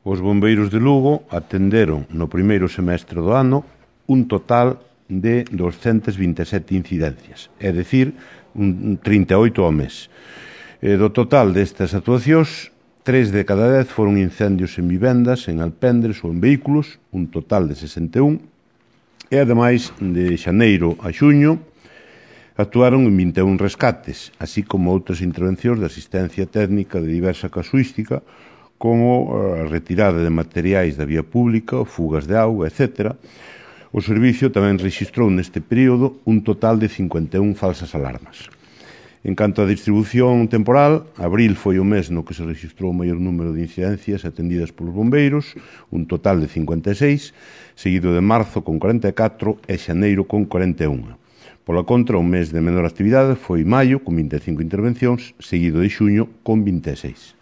Os bombeiros de Lugo atenderon no primeiro semestre do ano un total de 227 incidencias, é dicir, 38 ao mes. Do total destas actuacións, 3 de cada 10 foron incendios en vivendas, en alpendres ou en vehículos, un total de 61, e ademais de xaneiro a xuño actuaron en 21 rescates, así como outras intervencións de asistencia técnica de diversa casuística, como a retirada de materiais da vía pública, fugas de auga, etc. O servicio tamén rexistrou neste período un total de 51 falsas alarmas. En canto á distribución temporal, abril foi o mes no que se rexistrou o maior número de incidencias atendidas polos bombeiros, un total de 56, seguido de marzo con 44 e xaneiro con 41. Pola contra, o mes de menor actividade foi maio, con 25 intervencións, seguido de xuño con 26.